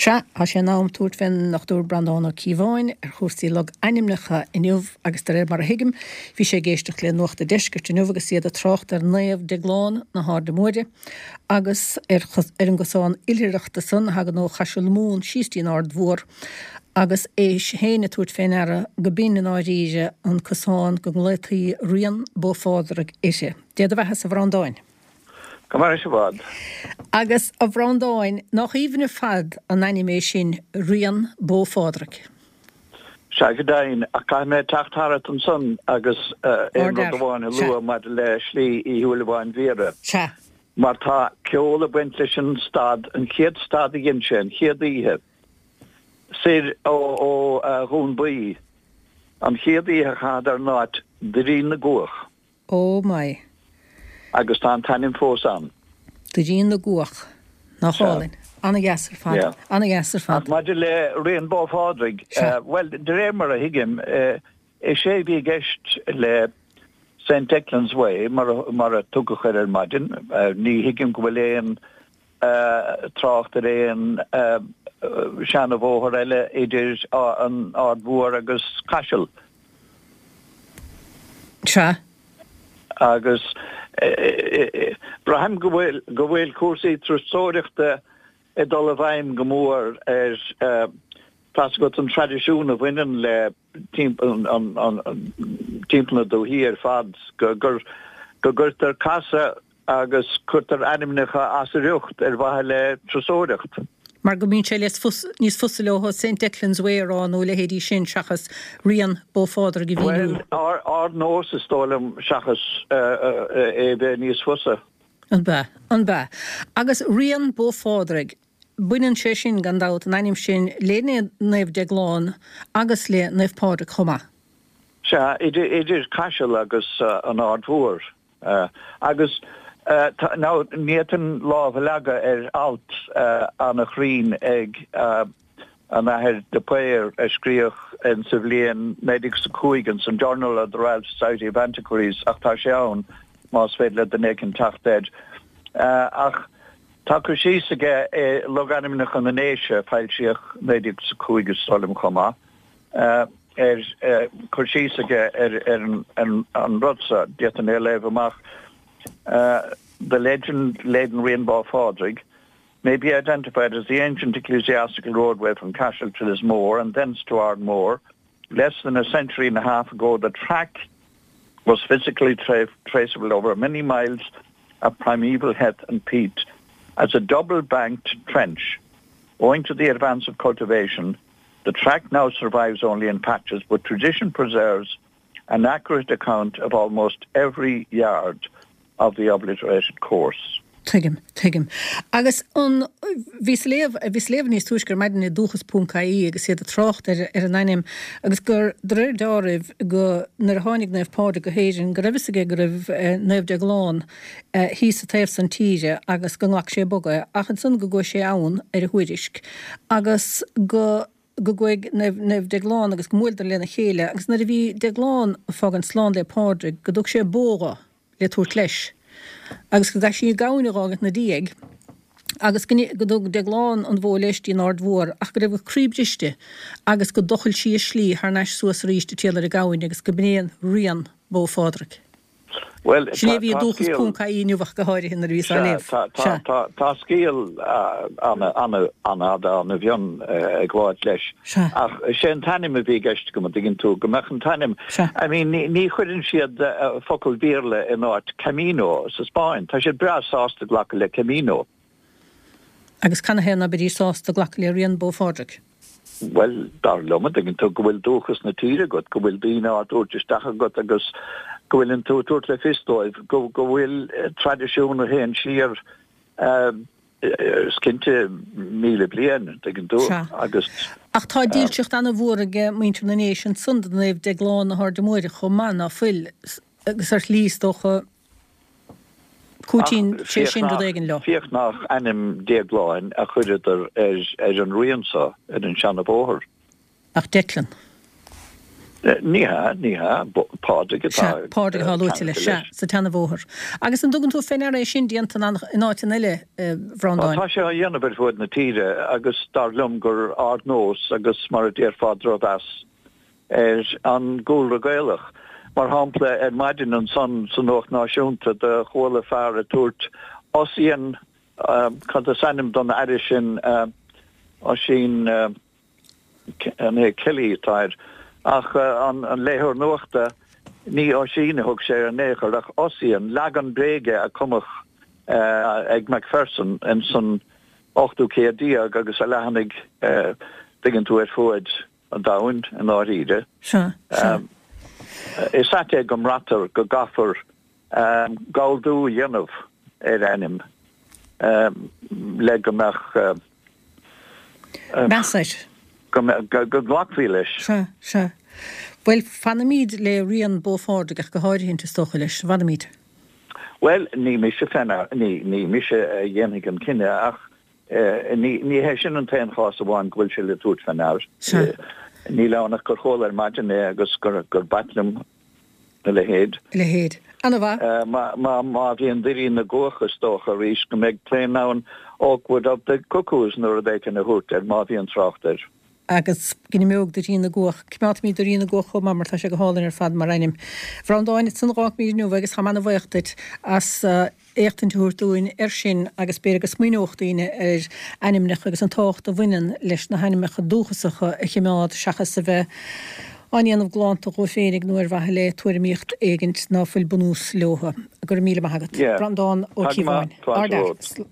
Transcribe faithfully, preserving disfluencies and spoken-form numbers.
Sea, tá sé in am tabhairt fén nDochtúir Breandán Ó Cíobháin ar chúrsaí logainmneacha inniu agus de réir mar a thuigim, bhí sé ag éisteacht le Nuacht an Deiscirt inniu agus iad ag trácht ar Naomh Deaglán na hAirde Móire agus ar ar an gcosán oilithreachta san a thagann ó Chaiseal Mumhan síos dtí an Aird Mhór agus é féin ag tabhairt fé ndeara go b'in i ndáiríre an cosán go nglaotaí Rian Bó Phádraig uirthi. Dé do bheatha-sa, a Bhreandáin. Go maire sibh i bhfad. Agus, a Bhreandáin, nach aoibhinn ar fad an ainm é sin, Rian Bó Phádraig? Sea, go deimhin, ach caithfidh mé teacht tharat ansan agus aon rud amháin a lua maidir le Slí Uí Shúilleabháin Bhiorra. Sea. Mar tá ceol ag baint leis an stad, an chéad stad a dhein sé, an chéad oíche, soir ó Dhún Buí, an chéad oíche a chaitheadar in áit Doirín na gCuach. Oh my. Agus tá an t-ainm fós ann. Doirín na gCuach. Nach álainn. Ana-dheas ar fad. Ana-dheas ar fad. Ach maidir le Rian Bó Phádraig, bhuel, de réir mar a thuigim, is é a bhí i gceist le Saint Declan's Way, mar a tugadh air ar maidin, ní thuigim go bhfuil aon trácht ar aon seana-bhóthar eile idir an Aird Mhór agus Caiseal. Sea. Agus braithim go bhfuil, go bhfuil cúrsaí turasóireachta ag dul i bhfeidhm go mór ar, tá's agat, an traidisiún a bhaineann le timpeall na dúichí ar fad, go gcuirtear casadh agus cuirtear ainmneacha as a riocht ar mhaithe le turasóireacht. Mar go mbíonn sé níos fusa leo Saint Declan's Way a rá nó a leithéidí sin seachas Rian Bó Phádraig a mhíniú. Bhuel, ár nós is dóigh liom seachas é bheith níos fusa. An b'ea? An b'ea? Agus Rian Bó Phádraig, baineann sé sin, gan dabht, an ainm sin, le Naomh Déaglán agus le Naomh Pádraig chomh maith. Sea, idir Caiseal agus an Aird Mhór. Agus now ní fhéadfainn lámh a leagadh ar alt ana-chruinn ag an Athair de Paor a scríodh in sa bhliain naoi déag is a cúig ins an Journal of the Royal Society of Antiquaries ach tá sé ann más féidir le duine éicint teacht air. Ach tá cur síos aige i Logainmneacha na nDéise a foilsíodh naoi déag is a cúig is dóigh liom chomh maith. ar cur síos aige ar an rud seo, d'fhéadfainn é a léamh amach, The legend laden Rian Bó Phádraig may be identified as the ancient ecclesiastical roadway from Cashel to Lismore and thence to Ardmore. Less than a century and a half ago the track was physically tra traceable over many miles of primeval heath and peat as a double-banked trench. Owing to the advance of cultivation, The track now survives only in patches, but tradition preserves an accurate account of almost every yard of the obliterated course. Tuigim, tuigim. Agus an, bhíos ag léamh, bhíos ag léamh níos túisce ar maidin i Dúchas ponc IE agus iad ag trácht ar, ar an ainm agus gur, de réir dealraimh, go, nuair a tháinig Naomh Pádraig go hÉirinn, go raibh fhios aige go raibh Naomh Déaglán thíos sa taobh san tíre agus go nglac sé bog é ach ansan go gcuaigh sé ann ar a thuairisc agus go go gcuaigh Naomh Naomh Déaglán agus go mbuaileadar lena chéile agus nuair a bhí Déaglán ag fágaint slán le Pádraig go dtug sé bó dho le tabhairt leis agus go gcaith sí gamhain a dh'fhágaint 'na diaidh agus go go dtug Déaglán an bhó leis dtí an Aird Mhór ach go raibh a croí briste agus go dtochail sí a slí thar n-ais suas arís ag triall ar an gamhain agus go b'in é an rian Bó Phádraig. Bhuel, Sin é a tá bhí i tá Dúchas scéal, ponc IE inniu ach go háirithe nuair a bhíos á sea, léamh. tá tá Sea. tá tá scéal an-fhada an-mhion ag gabháilt leis. Sea. Ach sé an t-ainm a bhí i gceist agam, an dtuigeann tú, go mbeadh an t-ainm, Sea. I mean, ní ní chuireann siad focal Béarla in áit Camino sa Spáinn. Tá siad breá sásta glacadh le Camino. Agus canathaobh ná beidís sásta glacadh le Rian Bó Phádraig? Bhuel, dar liom, an dtuigeann tú, go bhfuil dúchas na tíre agat, go bhfuil daoine á dtabhairt isteach agat agus go bhfuileann tú ag tabhairt le fios dóibh go go bhfuil traidisiún a théann siar, is cinnte, míle bliain, an dtuigeann tú, Sea. agus. Ach tá dílseacht ana-mhór ag muintir na nDéise ansan do Naomh Déaglán na hAirde Móire chomh maith, ná fuil, agus ar shlí, is dócha, Cúitíonn Ach sé féach sin rud nach, éigin leo. féach nach ainm Déagláin a chuireadar ar, ar an rian so, ar an seana-bhóthar. Ach Declan. Ní hea, ní hea, Pádraig atá. Pádraig atá luaite leis, sea, sa tseanabhóthar. Agus an dtugann tú fé ndeara é sin déanta in áiteanna eile, a Bhreandáin? Tá sé á dhéanamh ar fuaid na tíre agus dar liom gur ardnós agus mar a déarfá drochmheas ar an gcúlra Gaelach. Mar shampla, ar maidin ansan sa Nuacht Náisiúnta do chuala fear ag tabhairt Ossian, cad is ainm don aire sin, Oisín, an é Kelly atá air, ach an léitheoir nuachta, ní Oisín a thug sé air in aon chor ach Ossian, leagan bréige a cumadh ag Macpherson ins an ochtú céad déag agus a leathnaigh, tuigeann tú, ar fuaid an domhain i ndáiríre. Sea, sea. Is ait é go mbraitear go gcaithfear galldú a dhéanamh ar ainm le go mbeadh. Meas air. Go nglacfaí leis. Sea, sea. Bhuel, fanfaimid le rian Bó Phádraig ach go háirithint, is dócha leis. Fanfaimid. Bhuel, ní mise fé ndear, ní, ní mise a dhéanfaidh an cinneadh ach ní, ní hé sin an t-aon chás amháin go bhfuil sé le tabhairt fé ndear. Sea. Níl ann ach gur chuala ar maidin é agus gur, gur b'ait liom a leithéid. A leithéid. Ana-mhaith. Má bhíonn Doirín na gCuach is dócha arís go mbeidh tú in ann Oakwood of the Cuckoos nó rud éicint a thabhairt air má bhíonn trácht air. Agus go n-imeodh Doirín na gCuach. Coimeádfaimid Doirín na gCuach chomh maith mar tá sé go hálainn ar fad mar ainm. A Bhreandáin, ansan a dh'fhágfaimid inniu agus táim ana-bhaoch duit as éachtaint a thabhairt dúinn air sin agus b'fhéidir go smaoineodh daoine ar ainmneacha agus an tábhacht a bhaineann leis na hainmneacha dúchasacha a chimeád seachas a bheith á ndéanamh galánta dhóibh féinig nó ar mhaithe le tuairimíocht éigint ná fuil bunús leothu. Go raibh míle maith agat. Yeah. Breandán Ó Tá go Cíobháin. maith. Fáilte Ard romhat.